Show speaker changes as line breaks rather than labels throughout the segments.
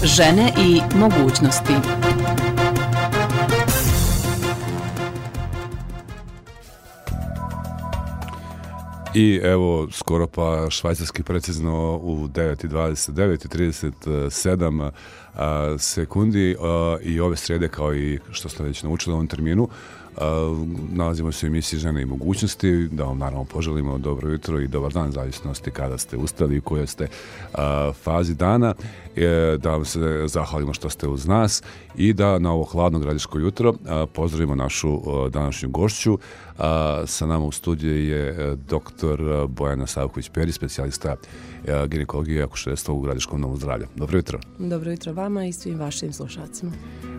Žene i mogućnosti.
I evo, skoro pa švajcarski precizno u 9:29:37 sekundi i ove srede, kao i što ste već naučili u ovom terminu, nalazimo se u emisiji Žene i mogućnosti, da vam naravno poželimo dobro jutro i dobar dan, zavisnosti kada ste ustali i u kojoj ste fazi dana, da vam se zahvalimo što ste uz nas i da na ovo hladno gradiško jutro pozdravimo našu današnju gošću. Sa nama u studiju je dr. Bojana Savković-Peri, specijalista ginekologije i akušerstva u Gradiškom domu zdravlja. Dobro jutro.
Dobro jutro vama i svim vašim slušalcima.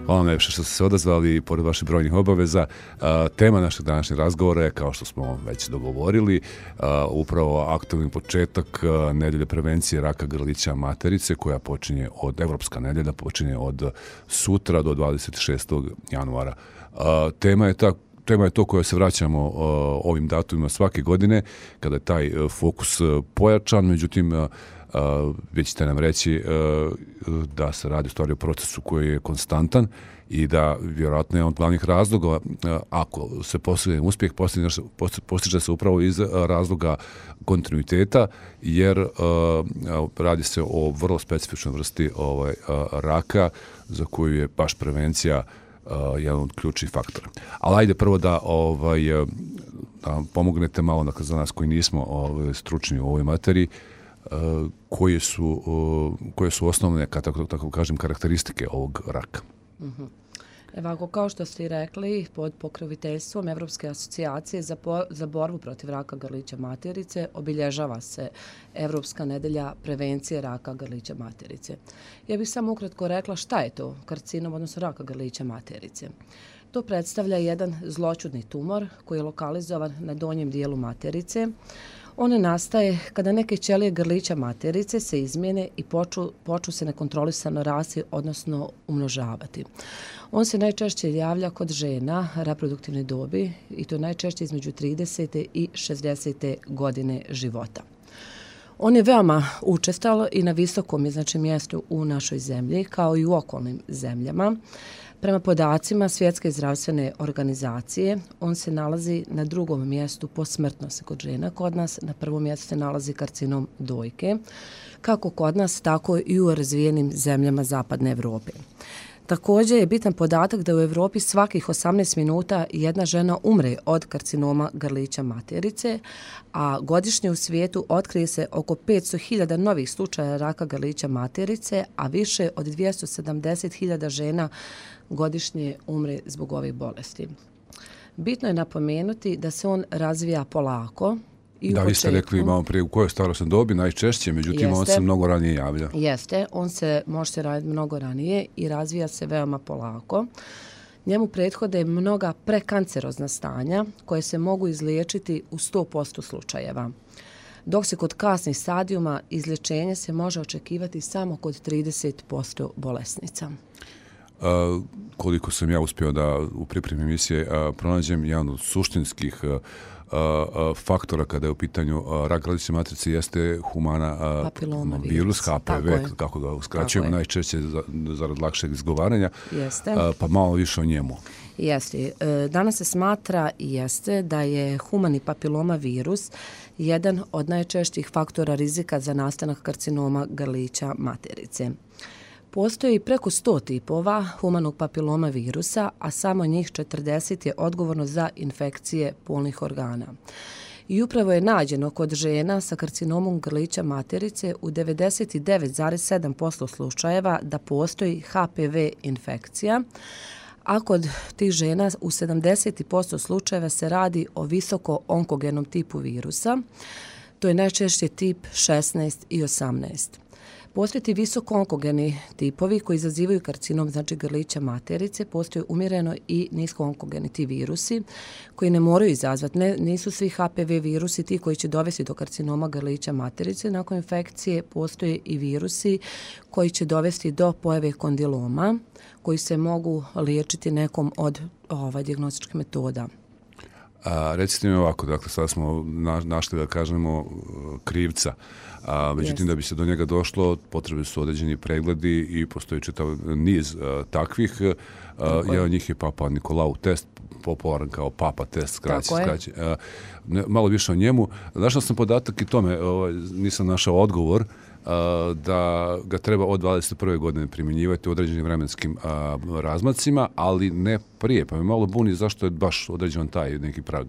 Hvala vam najviše što ste se odazvali pored vaših brojnih obaveza. Tema našeg današnjeg razgovora je, kao što smo već dogovorili, upravo aktualni početak nedelje prevencije raka grlića materice, koja počinje Evropska nedelja počinje od sutra do 26. januara. Tema je to koja se vraćamo ovim datumima svake godine, kada je taj fokus pojačan, međutim, već ćete nam reći da se radi u stvari o procesu koji je konstantan i da vjerojatno je on glavnih razloga, ako se postigne uspjeh, postiže se upravo iz razloga kontinuiteta, jer radi se o vrlo specifičnoj vrsti raka za koju je baš prevencija jedan od ključnih faktora. Ali ajde prvo da pomognete malo za nas koji nismo stručni u ovoj materiji, koje su osnovne, tako kažem, karakteristike ovog raka.
Evo, kao što ste i rekli, pod pokroviteljstvom Evropske asocijacije za borbu protiv raka grlića materice obilježava se Evropska nedelja prevencije raka grlića materice. Ja bih samo ukratko rekla šta je to karcinom, odnosno raka grlića materice. To predstavlja jedan zloćudni tumor koji je lokalizovan na donjem dijelu materice. On nastaje kada neke ćelije grlića materice se izmijene i počnu se nekontrolisano rasti, odnosno umnožavati. On se najčešće javlja kod žena reproduktivne dobi i to najčešće između 30. i 60. godine života. On je veoma učestal i na visokom je mjestu u našoj zemlji, kao i u okolnim zemljama. Prema podacima Svjetske zdravstvene organizacije, on se nalazi na drugom mjestu po smrtnosti kod žena. Kod nas na prvom mjestu se nalazi karcinom dojke, kako kod nas, tako i u razvijenim zemljama Zapadne Evrope. Također je bitan podatak da u Evropi svakih 18 minuta jedna žena umre od karcinoma grlića materice, a godišnje u svijetu otkrije se oko 500.000 novih slučaja raka grlića materice, a više od 270.000 žena godišnje umre zbog ovih bolesti. Bitno je napomenuti da se on razvija polako.
Da, vi ste rekli malo prije u kojoj starosnoj dobi najčešće, međutim on se mnogo ranije javlja.
Jeste, može se raditi mnogo ranije i razvija se veoma polako. Njemu prethode mnoga prekancerozna stanja koje se mogu izliječiti u 100% slučajeva. Dok se kod kasnih stadijuma izlječenje se može očekivati samo kod 30% bolesnica.
Koliko sam ja uspio da u pripremi emisije pronađem, jedan od suštinskih faktora kada je u pitanju rak grlića materice jeste humana virus, HPV, kako ga uskraćujemo najčešće zarad lakšeg izgovaranja, pa malo više o njemu.
Jeste. Danas se smatra da je humani papiloma virus jedan od najčešćih faktora rizika za nastanak karcinoma grlića materice. Postoji preko 100 tipova humanog papiloma virusa, a samo njih 40 je odgovorno za infekcije polnih organa. I upravo je nađeno kod žena sa karcinomom grlića materice u 99,7% slučajeva da postoji HPV infekcija, a kod tih žena u 70% slučajeva se radi o visoko onkogenom tipu virusa. To je najčešće tip 16 i 18. Postoje ti visoko onkogeni tipovi koji izazivaju karcinom, znači grlića materice, postoje umjereno i nisko onkogeni ti virusi koji ne moraju izazvati. Nisu svi HPV virusi ti koji će dovesti do karcinoma grlića materice. Nakon infekcije postoje i virusi koji će dovesti do pojave kondiloma koji se mogu liječiti nekom od dijagnostičkih metoda.
Recite mi ovako, dakle, sad smo našli, da kažemo, krivca. Međutim, da bi se do njega došlo, potrebni su određeni pregledi i postoji čitav niz takvih. Jedan od njih je Papa Nikolau test, popularan kao Papa test, skraćen. Malo više o njemu. Našao sam podatak i tome, nisam našao odgovor, da ga treba od 21. godine primjenjivati u određenim vremenskim razmacima, ali ne prije. Pa me malo buni zašto je baš određen taj neki prag.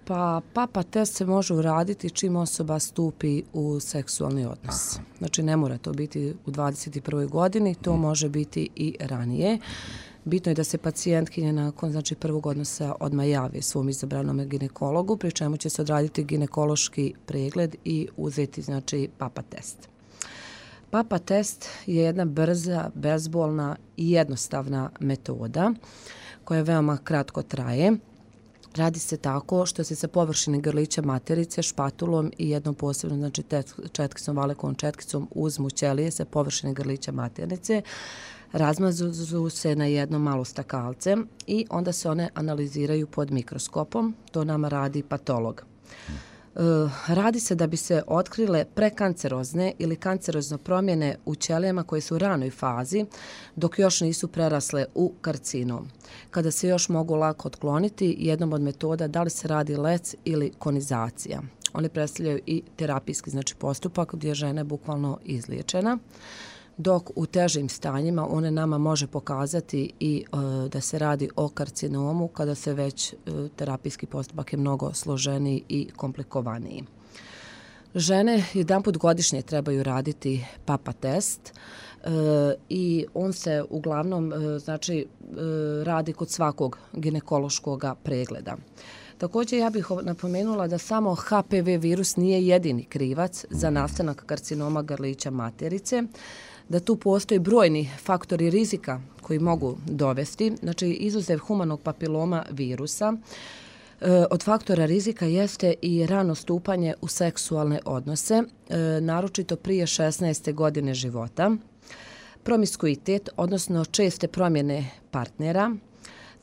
Pa Papa test se može uraditi čim osoba stupi u seksualni odnos. Znači ne mora to biti u 21. godini, to može biti i ranije. Bitno je da se pacijentkinja nakon prvog odnosa odmah javi svom izabranom ginekologu, pri čemu će se odraditi ginekološki pregled i uzeti Papa test. Papa test je jedna brza, bezbolna i jednostavna metoda koja veoma kratko traje. Radi se tako što se sa površine grlića materice špatulom i jednom posebnom, četkicom, valekovom četkicom uzmu ćelije sa površine grlića materice, razmazu se na jedno malo stakalce i onda se one analiziraju pod mikroskopom. To nama radi patolog. Radi se da bi se otkrile prekancerozne ili kancerozne promjene u ćelijama koje su u ranoj fazi dok još nisu prerasle u karcinom. Kada se još mogu lako otkloniti, jednom od metoda da li se radi lec ili konizacija. One predstavljaju i terapijski postupak gdje je žena bukvalno izliječena. Dok u težim stanjima one nama može pokazati i da se radi o karcinomu kada se već terapijski postupak je mnogo složeniji i komplikovaniji. Žene jedanput godišnje trebaju raditi Papa test i on se uglavnom radi kod svakog ginekološkog pregleda. Također ja bih napomenula da samo HPV virus nije jedini krivac za nastanak karcinoma grlića materice, da tu postoji brojni faktori rizika koji mogu dovesti, izuzev humanog papiloma virusa. Od faktora rizika jeste i rano stupanje u seksualne odnose, naročito prije 16. godine života, promiskuitet, odnosno česte promjene partnera,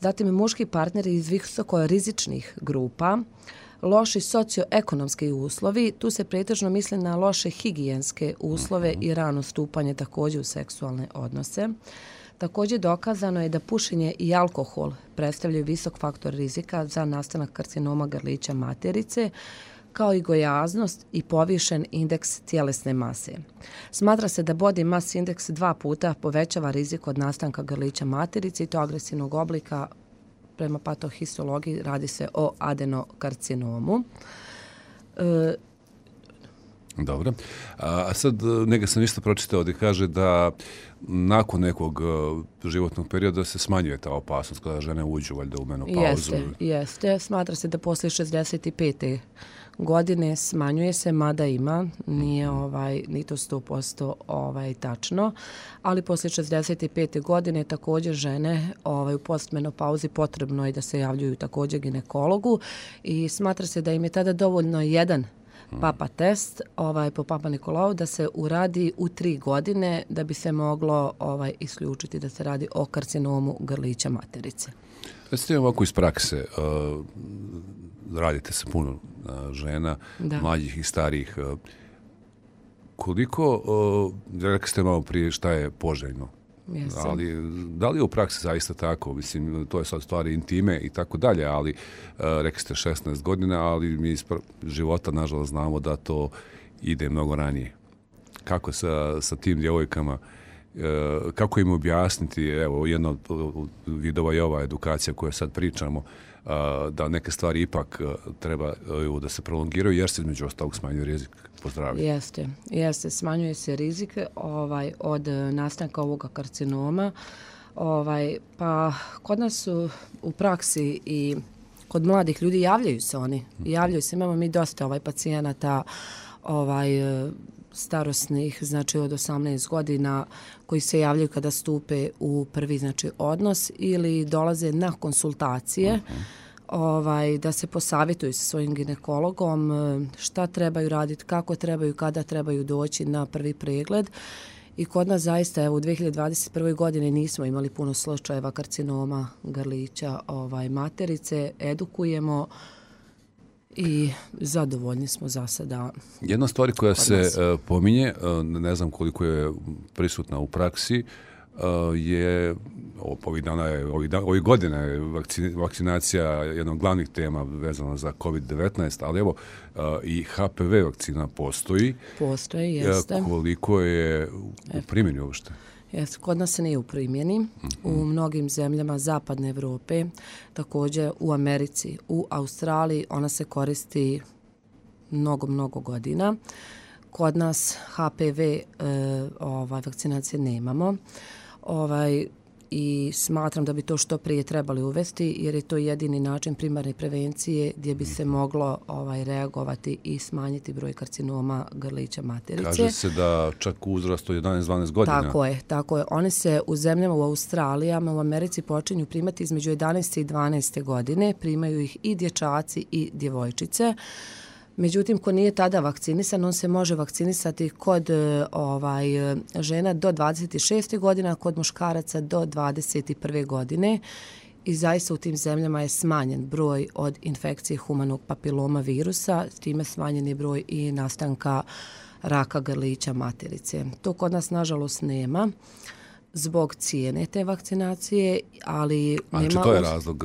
zatim muški partneri iz visoko rizičnih grupa, loši socioekonomski uslovi, tu se pretežno misli na loše higijenske uslove i rano stupanje također u seksualne odnose. Također dokazano je da pušenje i alkohol predstavljaju visok faktor rizika za nastanak karcinoma grlića materice, kao i gojaznost i povišen indeks tjelesne mase. Smatra se da body mass indeks 2 puta povećava rizik od nastanka grlića materice i to agresivnog oblika. Prema patohistologiji radi se o adenokarcinomu.
Dobro. A sad neka sam isto pročitao gdje kaže da nakon nekog životnog perioda se smanjuje ta opasnost kada žene uđu valjda u menopauzu.
Jeste. Smatra se da poslije 65. godine smanjuje se, mada ima, nije ni to 100% tačno, ali poslije 65. godine također žene u postmenopauzi potrebno je da se javljaju također ginekologu i smatra se da im je tada dovoljno jedan Papa test po Papa Nikolau da se uradi u 3 godine da bi se moglo isključiti da se radi o karcinomu grlića materice.
Recite ovako iz prakse, radite se puno žena, mlađih i starijih. Koliko, rekli ste malo prije šta je poželjno, ali da li je u praksi zaista tako? Mislim, to je sad stvari intime i tako dalje, ali rekli ste 16 godina, ali mi iz života nažalost znamo da to ide mnogo ranije. Kako sa tim djevojkama, kako im objasniti, evo jedna od vidova je ova edukacija koju sad pričamo, da neke stvari ipak treba da se prolongiraju jer se između ostalog smanjuje rizik po zdravlje.
Jeste, smanjuje se rizik od nastanka ovoga karcinoma. Pa kod nas u praksi i kod mladih ljudi javljaju se oni. Javljaju se, imamo mi dosta pacijenata starosnih, od 18 godina koji se javljaju kada stupe u prvi odnos ili dolaze na konsultacije da se posavjetuju sa svojim ginekologom šta trebaju raditi, kako trebaju, kada trebaju doći na prvi pregled. I kod nas zaista u 2021. godini nismo imali puno slučajeva karcinoma grlića materice, edukujemo i zadovoljni smo za sada.
Jedna stvar koja se pominje, ne znam koliko je prisutna u praksi, je ovih godina je vakcinacija jedna od glavnih tema vezana za COVID-19, ali evo i HPV vakcina postoji.
Postoji, jeste.
Koliko je u primjeni uopšte?
Jeste, kod nas se nije u primjeni. U mnogim zemljama zapadne Evrope, također u Americi, u Australiji, ona se koristi mnogo godina. Kod nas HPV vakcinacije nemamo. I smatram da bi to što prije trebali uvesti, jer je to jedini način primarne prevencije gdje bi se moglo reagovati i smanjiti broj karcinoma grlića materice.
Kaže se da čak u uzrastu 11-12 godina.
Tako je. Oni se u zemljama u Australijama, u Americi počinju primati između 11. i 12. godine. Primaju ih i dječaci i djevojčice. Međutim, ko nije tada vakcinisan, on se može vakcinisati kod žena do 26. godina, kod muškaraca do 21. godine. I zaista u tim zemljama je smanjen broj od infekcije humanog papiloma virusa, s time smanjen je broj i nastanka raka grlića materice. To kod nas, nažalost, nema zbog cijene te vakcinacije, ali nema...
Znači, to je razlog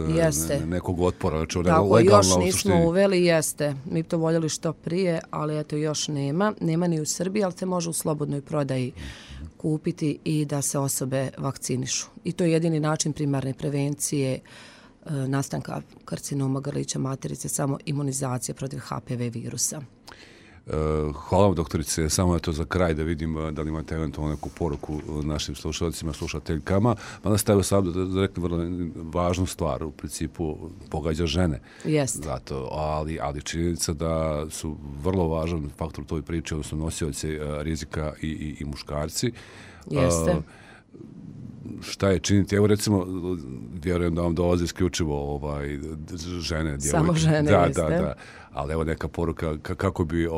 nekog otpora, znači
tako, još nismo uveli, jeste. Mi to voljeli što prije, ali eto još nema. Nema ni u Srbiji, ali se može u slobodnoj prodaji kupiti i da se osobe vakcinišu. I to je jedini način primarne prevencije nastanka karcinoma grlića materice, samo imunizacija protiv HPV virusa.
Hvala vam, doktorice. Samo je to za kraj da vidim da li imate eventualno neku poruku našim slušalcima, slušateljkama. Onda ste sad rekli vrlo važnu stvar, u principu pogađa žene.
Jeste.
Zato, ali činjenica da su vrlo važan faktor u toj priči, odnosno nosioci rizika i muškarci.
Jeste.
Šta je činiti? Evo recimo, vjerujem da vam dolaze isključivo žene, djevojke.
Samo žene, jeste.
Da. Ali evo neka poruka kako bi u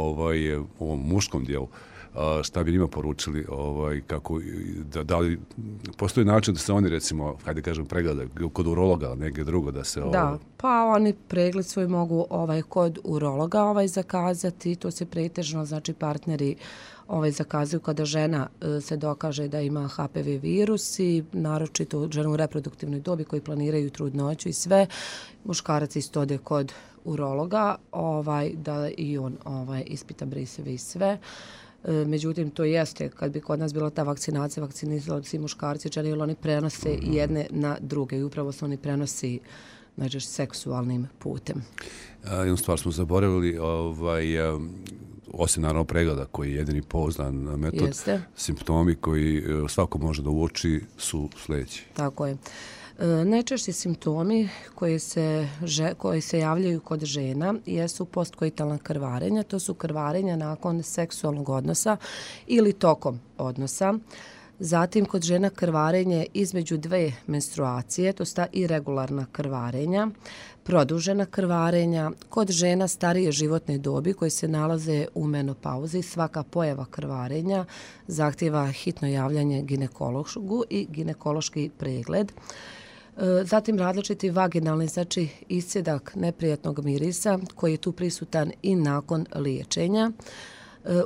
ovom muškom dijelu, šta bi njima poručili, da li postoji način da se oni recimo, hajde kažem, pregledaju kod urologa, negdje drugo da se...
Da, pa oni pregled svoj mogu kod urologa zakazati, to se pretežno, znači partneri zakazuju kada žena se dokaže da ima HPV virus i naročito žena u reproduktivnoj dobi koji planiraju trudnoću i sve. Muškarac isto ode kod urologa da i on ispita briseve i sve. Međutim, to jeste, kad bi kod nas bila ta vakcinacija, vakcinizali svi muškarci, žene, jer oni prenose jedne na druge i upravo se oni prenosi seksualnim putem.
Jednu stvar smo zaboravili, osim naravno pregleda koji je jedini pouzdan metod,
jeste.
Simptomi koji svako može da uoči su sljedeći.
Tako je. Najčešći simptomi koji se javljaju kod žena jesu postkoitalna krvarenja. To su krvarenja nakon seksualnog odnosa ili tokom odnosa. Zatim kod žena krvarenje između dve menstruacije, to su ta irregularna krvarenja, produžena krvarenja, kod žena starije životne dobi koje se nalaze u menopauzi, svaka pojava krvarenja zahtjeva hitno javljanje ginekologu i ginekološki pregled. Zatim različiti vaginalni, znači iscedak neprijatnog mirisa koji je tu prisutan i nakon liječenja.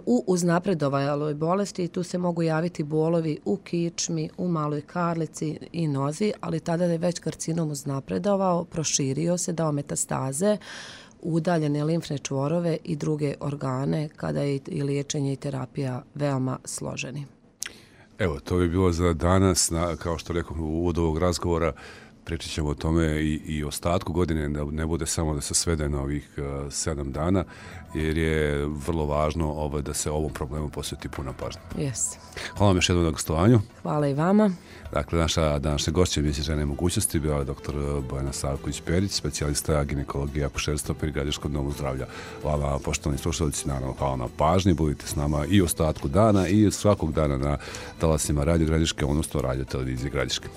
U uznapredovaloj bolesti tu se mogu javiti bolovi u kičmi, u maloj karlici i nozi, ali tada je već karcinom uznapredovao, proširio se, dao metastaze, udaljene limfne čvorove i druge organe kada je i liječenje i terapija veoma složeni.
Evo, to bi bilo za danas, kao što rekao u uvodu ovog razgovora. Pričat ćemo o tome i ostatku godine, da ne bude samo da se svede na ovih 7 dana, jer je vrlo važno da se ovom problemu posveti puna pažnja.
Yes.
Hvala vam još jednom na gostovanju.
Hvala i vama.
Dakle, naša današnja gošća emisije Žene i mogućnosti bila je dr. Bojana Savković-Perić, specijalista ginekologije i akušerstva pri Gradiškom domu zdravlja. Hvala, poštovani slušalci, naravno hvala na pažnji, budite s nama i ostatku dana i svakog dana na talasima Radio Gradiške, odnosno Radio Televizije Gradiške.